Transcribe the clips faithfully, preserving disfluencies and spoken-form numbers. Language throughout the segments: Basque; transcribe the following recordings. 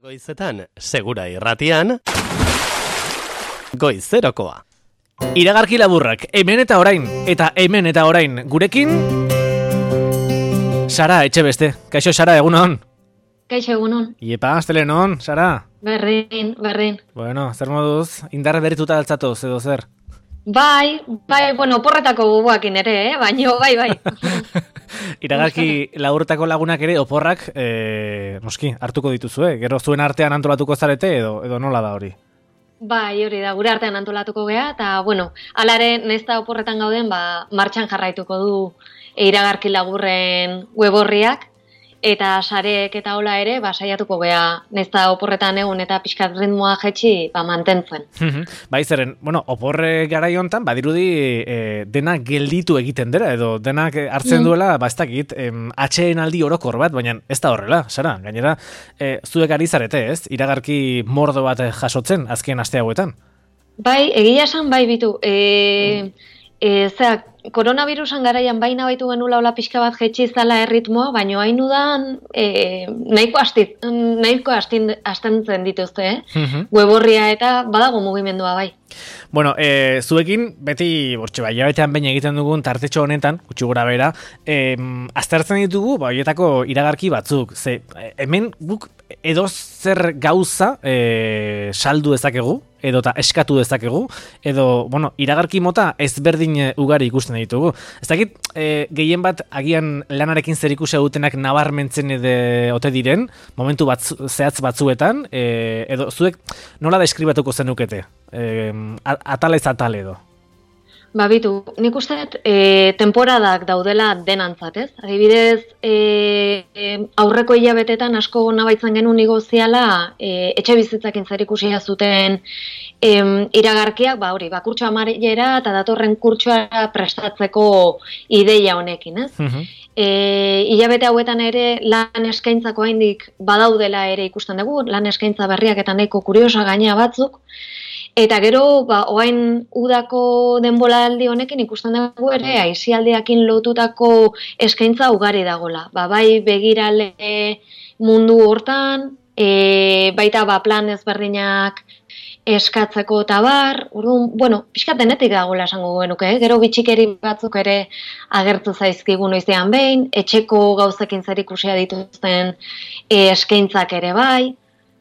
Goizetan, segura irratian, goizerokoa. Iragarki laburrak, hemen eta orain, eta hemen eta orain gurekin, Sara Etxebeste. Kaixo, Sara, egunon? Kaixo, egunon. Iepa, astelenon, Sara? Berdin, berdin. Bueno, zer moduz, indarra berrituta altzatoz, edo zer? Bai, bai, bueno, porretako bubuakin ere, eh? Baina, bai, bai. Iragarki laburretako lagunak ere, oporrak, e, noski, hartuko dituzue, gero zuen artean antolatuko zarete, edo, edo nola da hori? Bai, hori da, gure artean antolatuko gea, eta, bueno, alare, nesta oporretan gauden, ba, martxan jarraituko du iragarki laburren web horriak, eta sareek eta hola ere, ba, saiatuko gea, nesta oporretan egun eta pixkat ritmoa jetxi, ba, mantentzen. Bai, zeren, bueno, oporre garai hontan, badirudi e, dena gelditu egiten dira, edo denak hartzen duela, ba, ez dakit, em, atxeen aldi orokor bat, baina ez da horrela, Sara, gainera, e, zuek ari zarete, ez? Iragarki mordo bat jasotzen, azken aste hauetan. Bai, egia esan, bai, bitu, e, e, zeak, koronavirusan garaian baina baitu genula hola pixka bat jetxi zala erritmoa, baina hain udan e, nahiko astit, nahiko astin, astentzen dituzte, eh? Uh-huh. Weborria eta badago mugimendua bai. Bueno, e, zuekin, beti, bortxe, bai, jabetean baina egiten dugun tartetxo honetan, gutxi gora bera, e, aztertzen ditugu, bai, horietako iragarki batzuk, ze, hemen guk edo zer gauza e, saldu dezakegu, edo eta eskatu dezakegu, edo, bueno, iragarki mota ezberdin ugari ikusten ditugu. Ez dakit, e, gehien bat agian lanarekin zer ikusi dutenak nabarmentzen edo ote diren, momentu batzu, zehatz batzuetan, e, edo zuek nola deskribatuko zenukete? E, atalez atal edo. Ba, bitu, nik uste e, temporadak daudela denantzat, ez? Adibidez, e, e, aurreko hilabetetan asko nabaitzen genuen negoziala e, etxe bizitzakin zer ikusia zuten e, iragarkiak, ba, hori, ba, kurtso amarillera eta datorren kurtsoa prestatzeko ideia honekin, ez? Uh-huh. E, hilabete hauetan ere lan eskaintzako haindik badaudela ere ikusten dugu, lan eskaintza berriak eta nahiko kuriosa gaina batzuk, eta gero, ba, oain udako denboraldi honekin ikusten dugu ere, aisialdiakin lotutako eskaintza ugari dagola. Ba, bai begirale mundu hortan, e, baita ba, plan ezberdinak eskatzeko eta bar, orduan, bueno, pixkat denetik dagoela esango genuke, eh? Gero bitxikeri batzuk ere agertu zaizkigu noizean behin, etxeko gauzekin zer ikusia dituzten e, eskaintzak ere bai,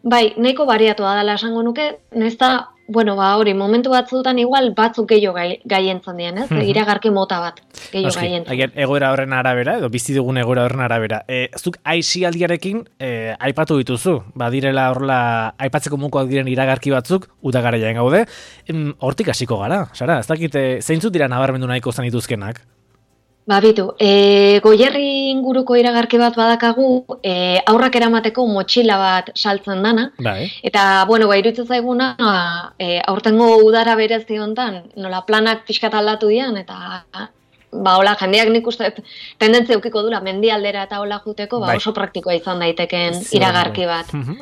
bai, nahiko bariatua dela esango nuke, nesta, bueno, ba, hori, momentu batzutan igual batzuk gehiago gai, gaientzen dian, ez? Mm-hmm. Iragarki mota bat, gehiago gaientzen. Agian, egoera horren arabera, edo bizi dugun egoera horren arabera. E, zuk aisialdiarekin e, aipatu dituzu, badirela horrela aipatzeko mukoak diren iragarki batzuk, udagaraian gaude, hortik hasiko gara, Sara, ez dakit, zeintzut dira nabarmendu nahiko zan dituzkenak? Ba, bitu, e, Goierri inguruko iragarki bat badakagu, e, aurrak eramateko motxila bat saltzen dana. Bai. Eta, bueno, ba, iruditzen zaiguna, e, aurtengo udara berezi hontan, nola planak pixkat aldatu dian, eta, ba, hola, jendeak nik uste tendentzia eukiko dula, mendialdera eta hola juteko, ba, bai, oso praktikoa izan daiteken iragarki bat. Uh-huh.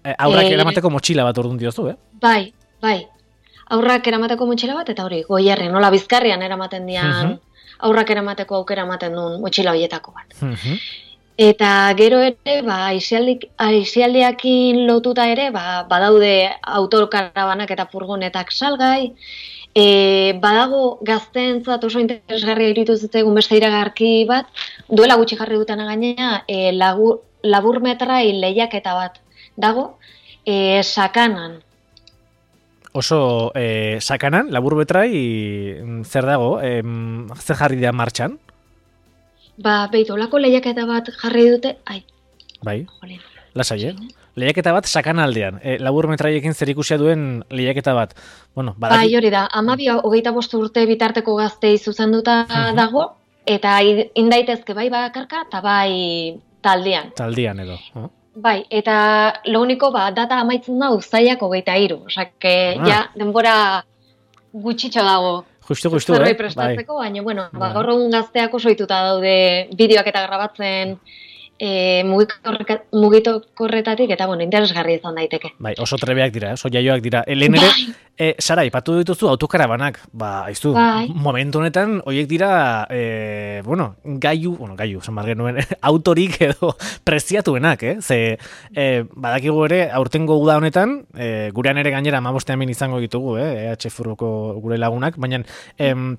e, aurrak e, eramateko motxila bat orduan diozu, eh? Bai, bai. Aurrak eramateko motxila bat, eta hori, Goierri, nola Bizkarrian eramaten dian, uh-huh, aurrak eramateko aukera ematen duen motxila horietako bat. Uh-huh. Eta gero ere, ba, aisialdiakin lotuta ere, ba, badaude autokarabanak eta furgonetak salgai, e, badago gazteentzat oso interesgarria iruditu zitzaigun beste iragarki bat, duela gutxi jarri dutena gainera, e, lagur, laburmetrai lehiaketa bat dago, e, Sakanan. Oso eh, sakanan, labur betrai, zer dago, eh, zer jarri da martxan? Ba, behitu, olako lehiaketa bat jarri dute, ai. Bai, lasai, eh? Lehiaketa bat sakanaldean, eh, labur metraiekin zer ikusia duen lehiaketa bat. Bueno, badaki... Bai, hori da, amabi hogeita bost urte bitarteko gaztei zuzenduta uh-huh, dago, eta indaitezke bai bakarka, eta bai taldean. Taldean edo, oh. Bai, eta lo único, ba, data amaitzen da uztailak hogeita hiru. Osake, ah, ja, denbora gutxitxo dago. Justu, justu, eh? Prestatzeko, bai, baina, bueno, ba, gaur egun gazteak oso ituta daude bideoak eta grabatzen e, mugikorretatik, eta bueno, interesgarri izan daiteke. Bai, oso trebeak dira, oso jaioak dira. Helen ere, e, Sara, ipatu dituzu autokarabanak, ba, aizu, bai. Momentu honetan, horiek dira, e, bueno, gaiu, bueno, gaiu, zen genuen, autorik edo preziatuenak, eh? Ze, e, badakigu ere, aurtengo uda honetan, e, gurean ere gainera amabostean bin izango ditugu, eh? E H Furgoko gure lagunak, baina, em,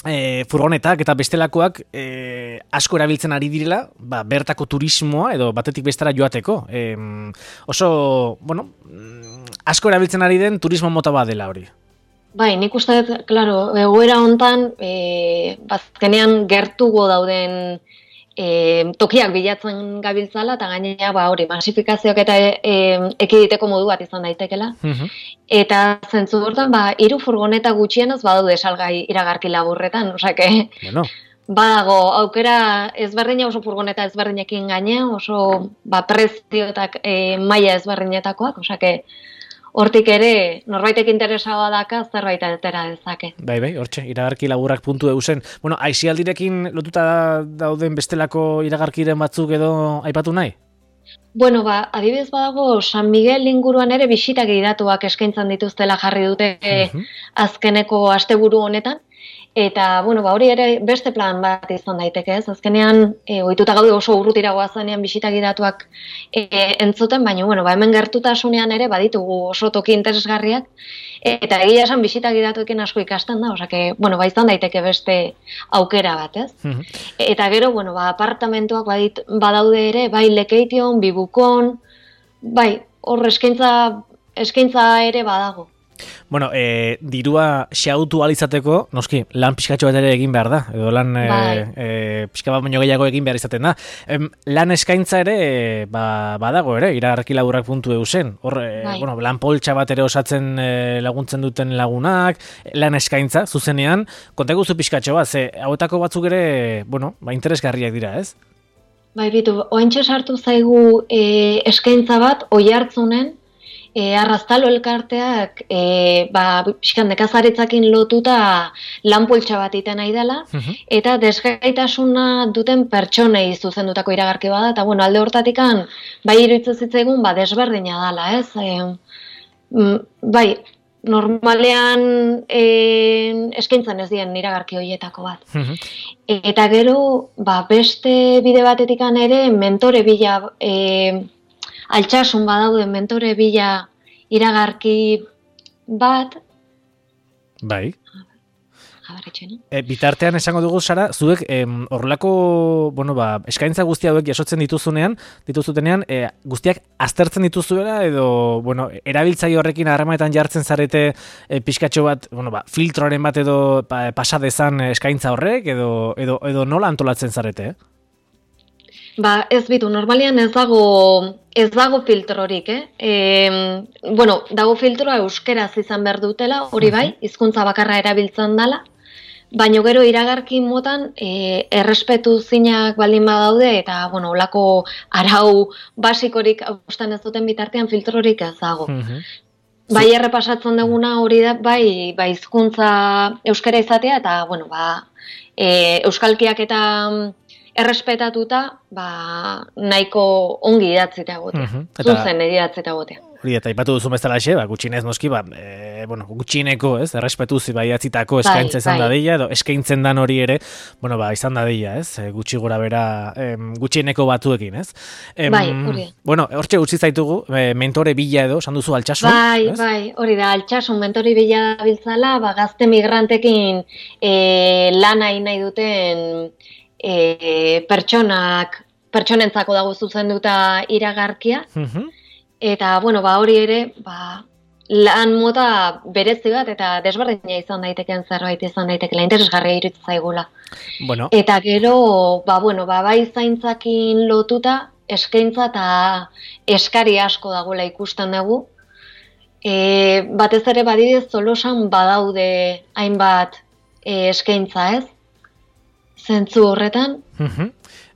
E, furgonetak eta bestelakoak e, asko erabiltzen ari direla, ba, bertako turismoa edo batetik bestera joateko. E, oso, bueno, asko erabiltzen ari den turismo mota bat dela hori. Bai, nik uste dut, klaro, egoera hontan, e, bazkenean gertugo dauden e, tokiak bilatzen gabiltzala, eta gainera, ba, hori, masifikazioak eta e, ekiditeko modu bat izan daitekela. Uh-huh. Eta zentzu hortan, ba, hiru furgoneta gutxienez badaude salgai iragarki laburretan, osake, bueno. Badago, aukera ezberdina oso furgoneta ezberdinekin gainea, oso ba, prezioetak e, maila ezberdinetakoak, osake, hortik ere, norbaitek interesagoa daka, zerbait atera dezake. Bai, bai, hortxe, iragarki laburrak puntu eusen. Bueno, aisialdirekin lotuta dauden bestelako iragarkiren batzuk edo aipatu nahi? Bueno, ba, adibidez badago, San Miguel inguruan ere bisita gidatuak eskaintzan dituztela jarri dute uh-huh. azkeneko asteburu honetan. Eta, bueno, ba, hori ere beste plan bat izan daiteke, ez? Azkenean, e, ohituta gaude oso urrutira goazanean bisita gidatuak e, entzuten, baina, bueno, ba, hemen gertutasunean ere baditugu oso toki interesgarriak, eta egia esan bisita gidatuekin asko ikasten da, osake, bueno, ba, izan daiteke beste aukera bat, ez? Uh-huh. Eta gero, bueno, ba, apartamentuak badit, badaude ere, bai Lekeition, Bibukon, bai, hor eskaintza, eskaintza ere badago. Bueno, e, dirua xautu alizateko, noski, lan pixkatxo bat ere egin behar da, edo lan bai. e, pixka bat baino gehiago egin behar izaten da. Em, lan eskaintza ere, ba, badago ere, iragarki laburrak puntu eusen. Hor, e, bai. bueno, lan poltsa bat ere osatzen e, laguntzen duten lagunak, lan eskaintza, zuzenean, kontagu zu pixkatxo bat, ze hauetako batzuk ere, bueno, ba, interesgarriak dira, ez? Bai, bitu, ointxe sartu zaigu e, eskaintza bat, Oiartzunen, E, arraztalo elkarteak e, ba, pixkan nekazaritzakin lotuta lanpoltsa bat iten nahi dela, uh-huh. eta desgaitasuna duten pertsonei zuzendutako iragarki bada, eta bueno, alde hortatikan bai iruditzen zitzaigun ba, desberdina dela, ez? E, bai, normalean e, eskaintzan ez dien iragarki horietako bat. Uh-huh. Eta gero, ba, beste bide batetikan ere, mentore bila... E, altxasun badaude mentore bila iragarki bat. Bai. E, bitartean esango dugu, Sara, zuek horrelako, bueno, ba, eskaintza guzti hauek jasotzen dituzunean, dituzutenean, e, guztiak aztertzen dituzuela edo, bueno, erabiltzaile horrekin harremanetan jartzen zarete e, pixkatxo bat, bueno, ba, filtroaren bat edo pa, pasa dezan eskaintza horrek edo, edo, edo nola antolatzen zarete, eh? Ba, ez bitu, normalian ez dago, ez dago filtrorik, eh? E, bueno, dago filtroa euskeraz izan behar dutela, hori bai, hizkuntza bakarra erabiltzen dela, baina gero iragarki motan e, errespetu zinak baldin badaude, eta, bueno, olako arau basikorik austan ez duten bitartean filtrorik ez dago. Uh-huh. Bai, errepasatzen duguna hori da, bai, bai hizkuntza euskera izatea, eta, bueno, ba, e, euskalkiak eta... errespetatuta, ba, nahiko ongi idatzita egotea. Uh-huh. Zuzen idatzita egotea. Hori, eta ipatu duzu bezala xe, ba, gutxinez noski, ba, e, bueno, gutxineko, ez, errespetuz ba, idatzitako eskaintza izan bai. dadila, edo eskaintzen dan hori ere, bueno, ba, izan dadila, ez, gutxi gora bera, em, gutxineko batuekin, ez? Em, bai, hori. Bueno, hortxe utzi zaitugu, e, mentore bila edo, esan duzu altxasun, bai, ez? Bai, hori da, altxasun, mentore bila biltzala, ba, gazte migrantekin e, lanai nahi duten, E, pertsonak, pertsonentzako dago zuzenduta iragarkia, uh-huh. eta, bueno, ba, hori ere, ba, lan mota berezi bat, eta desberdina izan daiteken zerbait izan daitekela, interesgarria iruditzen zaigula. Bueno. Eta gero, ba, bueno, ba, bai zaintzakin lotuta, eskaintza eta eskari asko dagoela ikusten dugu. E, batez ere badidez, Tolosan badaude hainbat e, eskaintza, ez? Zentzu horretan. Uh-huh.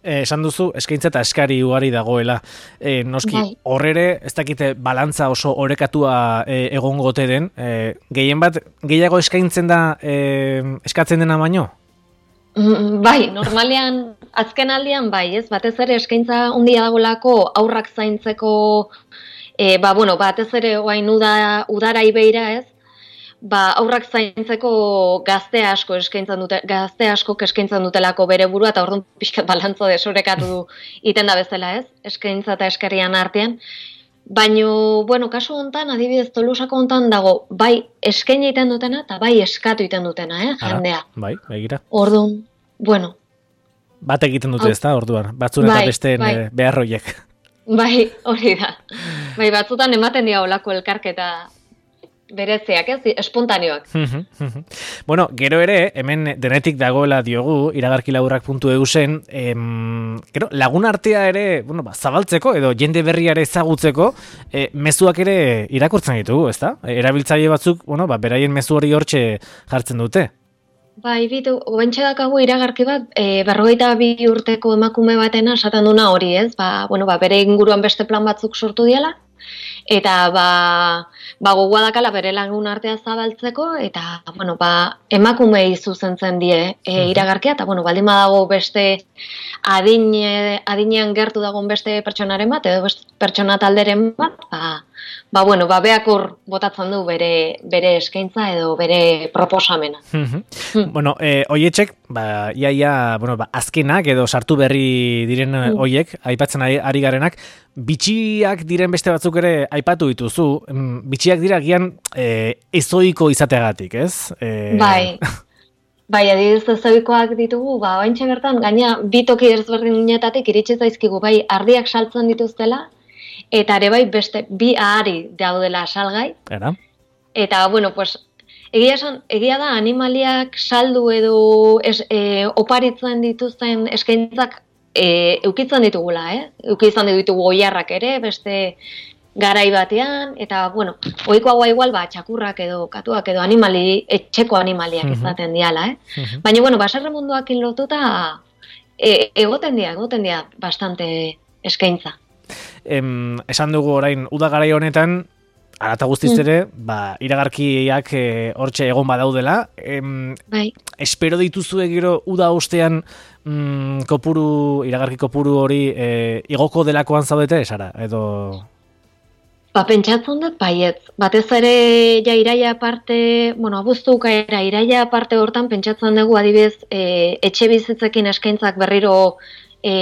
Eh, esan duzu, eskaintza eta eskari ugari dagoela. Eh, noski, bai. Horrere, ez dakite balantza oso orekatua eh, egongote den. Eh, gehien bat, gehiago eskaintzen da eh, eskatzen dena baino? Mm, bai, normalean azken aldian bai, ez, batez ere eskaintza ondia dagolako aurrak zaintzeko, e, ba, bueno, batez ere oain uda, udara ibeira, ez, ba, aurrak zaintzeko gazte asko eskaintzen dute, gazte asko eskaintzen dutelako bere burua, eta orduan pixkat balantzo desorekatu iten da bezala, ez, eskaintza eta eskarian artean. Baino, bueno, kasu hontan, adibidez, Tolusako hontan dago, bai eskaini egiten dutena, eta bai eskatu egiten dutena, eh, jendea. Ara, bai, begira. Orduan, bueno. Bat egiten dute ez da, orduan, batzun eta bai, besteen bai. beharroiek. Bai, hori da. Bai, batzutan ematen dira olako elkarketa bereziak, ez, espontaneoak. Bueno, gero ere, hemen denetik dagoela diogu, iragarkilaburrak puntu eusen, em, gero, lagun artea ere, bueno, ba, zabaltzeko, edo jende berriare ezagutzeko, e, mezuak ere irakurtzen ditugu, ezta? E, erabiltzaile batzuk, bueno, ba, beraien mezu hori hortxe jartzen dute. Bai, bitu, oentxe dakagu iragarki bat, e, berrogeita bi urteko emakume batena esaten duna hori, ez? Ba, bueno, ba, bere inguruan beste plan batzuk sortu diela, eta ba, ba gogoa dakala bere lagun artea zabaltzeko, eta bueno, ba, emakumei zuzentzen die e, iragarkia, eta bueno, baldin badago beste adin, adinean gertu dagoen beste pertsonaren bat, edo beste pertsona talderen bat, ba, ba bueno, ba beak hor botatzen du bere, bere eskaintza edo bere proposamena. Bueno, eh, oietxek, ba, iaia, bueno, ba, azkenak edo sartu berri diren mm. oiek, aipatzen ari, ari garenak, bitxiak diren beste batzuk ere aipatu dituzu, bitxiak dira gian e, ezoiko izateagatik, ez? E... Bai, bai, adibidez ezoikoak ditugu, ba, ointxe bertan, gaina bi toki ezberdinetatik iritsi zaizkigu, bai, ardiak saltzen dituztela, eta ere bai beste bi ahari daudela salgai. Era. Eta, bueno, pues, egia, esan, egia da animaliak saldu edo es, e, oparitzen dituzten eskaintzak E, eukitzen ditugula, eh? Eukitzen ditugu oiarrak ere, beste garai batean, eta, bueno, ohikoagoa igual, ba, txakurrak edo, katuak edo animali, etxeko animaliak uh -huh. izaten diala, eh? Uh -huh. Baina, bueno, baserre munduakin lotuta, e, egoten dira, egoten dira bastante eskaintza. Em, esan dugu orain, uda garai honetan, arata guztiz ere, mm. ba, iragarkiak e, hortxe egon badaudela. Em, bai. Espero dituzue gero uda ostean mm, kopuru, iragarki kopuru hori e, igoko delakoan zaudete, Sara? Edo... Ba, pentsatzen dut, baietz. Batez ere, ja, iraia aparte, bueno, abuztu ukaera, iraia aparte hortan, pentsatzen dugu, adibidez, e, etxe bizitzekin eskaintzak berriro e,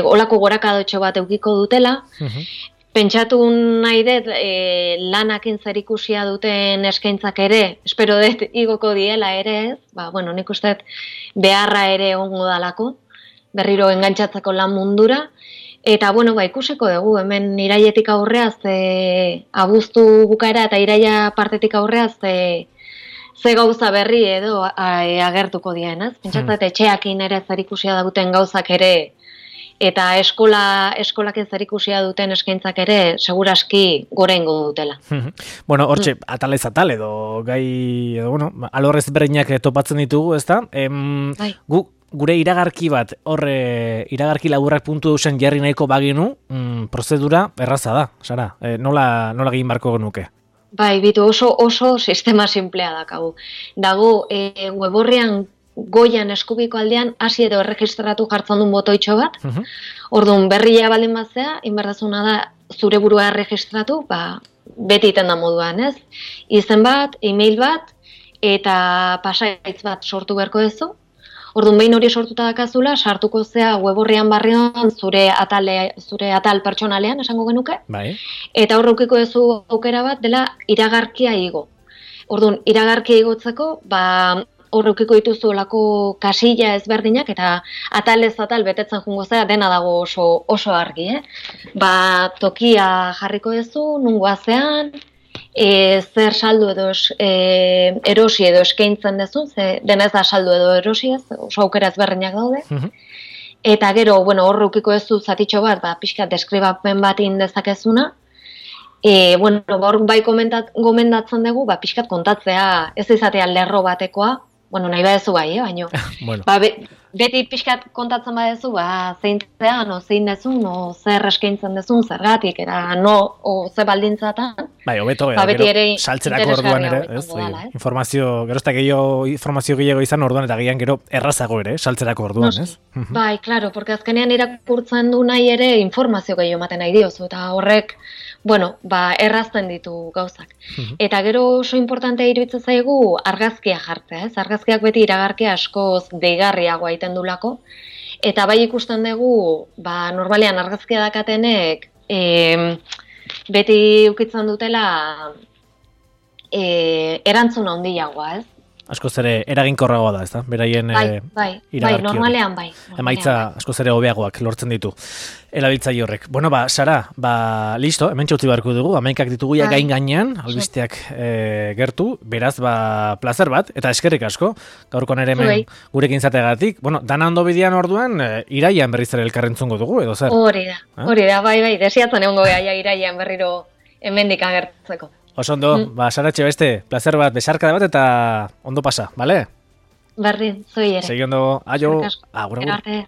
olako gorakadotxo bat eukiko dutela. Uh-huh. Pentsatu nahi dut e, lanakin zerikusia duten eskaintzak ere, espero dut igoko diela ere ez, ba, bueno, nik uste beharra ere ongo dalako, berriro engantzatzeko lan mundura, eta, bueno, ba, ikusiko dugu, hemen iraietik aurrea, ze abuztu bukaera eta iraia partetik aurrea, ze, ze gauza berri edo a, e, agertuko dien, ez? Pentsatzen hmm. etxeakin ere zerikusia duten gauzak ere, eta eskola eskolaken zerikusia duten eskaintzak ere seguraski gorengo dutela. Bueno, hortxe, atalez atal edo gai, edo, bueno, alorrez berreinak topatzen ditugu, ezta? Em, bai. Gu, gure iragarki bat, horre, iragarki laburrak puntu eusen jarri nahiko baginu, mm, prozedura erraza da, Sara, e, nola, nola egin barko genuke? Bai, bitu oso, oso sistema simplea dakagu. Dago, e, weborrian goian eskubiko aldean hasi edo erregistratu jartzen duen botoitxo bat. Uh-huh. Orduan berria baldin batzea, inberdazuna da zure burua erregistratu, ba, beti iten da moduan, ez? Izen bat, e-mail bat, eta pasaitz bat sortu beharko duzu. Orduan behin hori sortuta dakazula, sartuko zea weborrian barrian zure atale, zure atal pertsonalean, esango genuke. Bai. Eta horrekiko duzu aukera bat dela iragarkia igo. Orduan, iragarkia igotzeko, ba, horrekiko dituzu olako kasilla ezberdinak, eta atalez atal betetzen jungo zera, dena dago oso, oso argi, eh? Ba, tokia jarriko duzu, nungoazean, e, zer saldu edo e, erosi edo eskaintzen duzu, ze denez da saldu edo erosi ez, oso aukera ezberdinak daude. Uh-huh. Eta gero, bueno, horrekiko duzu zatitxo bat, ba, pixka deskribapen bat indezakezuna, E, bueno, hor bai komentat, gomendatzen dugu, ba, pixkat kontatzea, ez izatea lerro batekoa, bueno, nahi badezu bai, eh, baina, bueno. Ba, be, beti pixkat kontatzen badezu, ba, zein zean, o zein dezun, o zer eskaintzen dezun, zergatik, era no, o ze baldintzatan, Bai, hobeto, Ba, beti gero, ere saltzerako orduan ere, interesgarriago ez? izango dela, ez? Informazio, gero ez da gehiago, informazio gehiago izan orduan, eta gian gero errazago ere, saltzerako orduan, Noski. ez? Mhm. Bai, claro, porque azkenean irakurtzen du nahi ere informazio gehiago ematen nahi diozu, eta horrek, bueno, ba, errazten ditu gauzak. Mhm. Eta gero oso importantea iruditzen zaigu argazkia jartzea, ez? Argazkiak beti iragarkia askoz deigarriagoa egiten dulako, eta bai ikusten dugu, ba, normalean argazkia dakatenek, e, beti ukitzen dutela e, erantzun handiagoa, ez? Askoz ere eraginkorragoa da, ez da? Beraien Bai, eh, bai, bai, iragarki hori. normalean bai. normalean Emaitza bai. askoz ere hobeagoak lortzen ditu. Erabiltzaile horrek. Bueno, ba, Sara, ba, listo, hemen txautzi beharko dugu, hamaikak ditugu ja Bai. gain gainean, albisteak eh, gertu, beraz, ba, plazer bat, eta eskerrik asko, gaurkoan ere hemen Zuei. gurekin zategatik. Bueno, dana ondo bidean orduan, eh, iraian berriz ere elkarrentzungo dugu, edo zer? Hori da, Ah? hori da, bai, bai, desiatzen egongo geha ja iraian berriro hemendik agertzeko. Oso ondo, Mm. ba, Sara Etxebeste, plazer bat, besarkada bat, eta ondo pasa, bale? Berdin, zoi ere. Segi ondo, aio, Eskerrik asko. agur, Gero agur. arte.